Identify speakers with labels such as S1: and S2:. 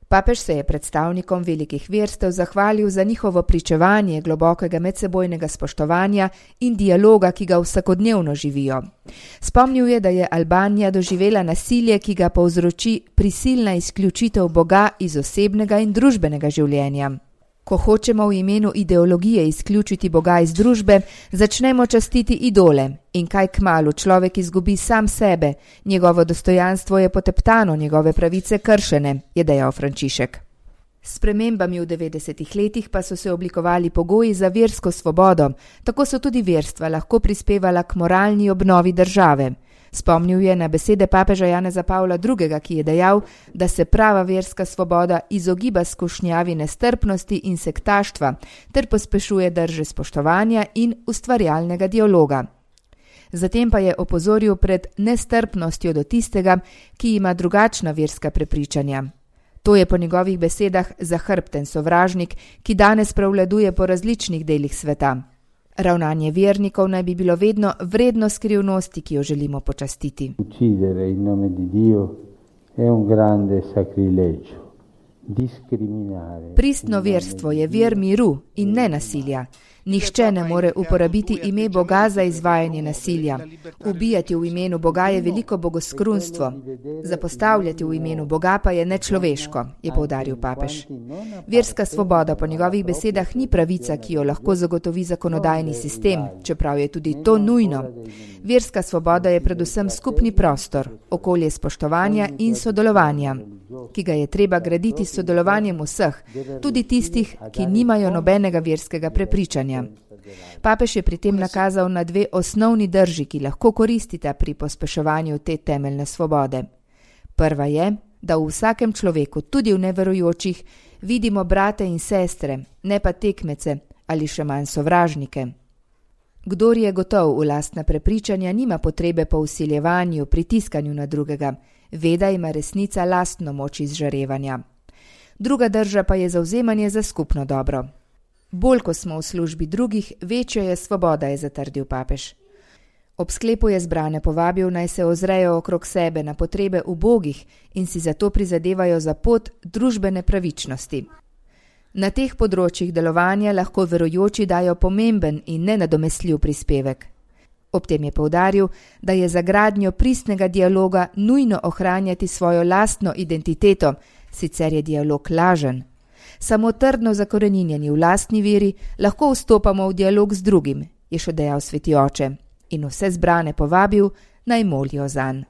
S1: Papež se je predstavnikom velikih verstev zahvalil za njihovo pričevanje globokega medsebojnega spoštovanja in dialoga, ki ga vsakodnevno živijo. Spomnil je, da je Albanija doživela nasilje, ki ga povzroči prisilna izključitev Boga iz osebnega in družbenega življenja. Ko hočemo v imenu ideologije izključiti Boga iz družbe, začnemo častiti idole in kaj kmalu človek izgubi sam sebe, njegovo dostojanstvo je poteptano, njegove pravice kršene, je dejal Frančišek. S spremembami v 90. letih pa so se oblikovali pogoji za versko svobodo, tako so tudi verstva lahko prispevala k moralni obnovi države. Spomnil je na besede papeža Janeza Pavla II., ki je dejal, da se prava verska svoboda izogiba skušnjavi nestrpnosti in sektaštva ter pospešuje drže spoštovanja in ustvarjalnega dialoga. Zatem pa je opozoril pred nestrpnostjo do tistega, ki ima drugačna verska prepričanja. To je po njegovih besedah zahrbten sovražnik, ki danes prevladuje po različnih delih sveta. Ravnanje vernikov naj bi bilo vedno vredno skrivnosti, ki jo želimo počastiti.
S2: Uccidere in nome di Dio è un grande sacrilegio.
S1: Pristno verstvo je ver miru in ne nasilja. Nihče ne more uporabiti ime Boga za izvajanje nasilja. Ubijati v imenu Boga je veliko bogoskrunstvo. Zapostavljati v imenu Boga pa je nečloveško, je poudaril papež. Verska svoboda po njegovih besedah ni pravica, ki jo lahko zagotovi zakonodajni sistem, čeprav je tudi to nujno. Verska svoboda je predvsem skupni prostor, okolje spoštovanja in sodelovanja, ki ga je treba graditi s sodelovanjem vseh, tudi tistih, ki nimajo nobenega verskega prepričanja. Papež je pri tem nakazal na dve osnovni drži, ki lahko koristita pri pospeševanju te temeljne svobode. Prva je, da v vsakem človeku, tudi v neverujočih, vidimo brate in sestre, ne pa tekmece ali še manj sovražnike. Kdor je gotov v lastna prepričanja, nima potrebe po vsiljevanju, pritiskanju na drugega. Veda ima resnica lastno moč izžarevanja. Druga drža pa je zavzemanje za skupno dobro. Bolj, ko smo v službi drugih, večja je svoboda, je zatrdil papež. Ob sklepu je zbrane povabil, naj se ozrejo okrog sebe na potrebe ubogih in si zato prizadevajo za pot družbene pravičnosti. Na teh področjih delovanja lahko verujoči dajo pomemben in nenadomestljiv prispevek. Ob tem je poudaril, da je za gradnjo pristnega dialoga nujno ohranjati svojo lastno identiteto, sicer je dialog lažen. Samo trdno zakoreninjeni v lastni veri lahko vstopamo v dialog z drugim, je še dejal sveti oče, in vse zbrane povabil, naj molijo zanj.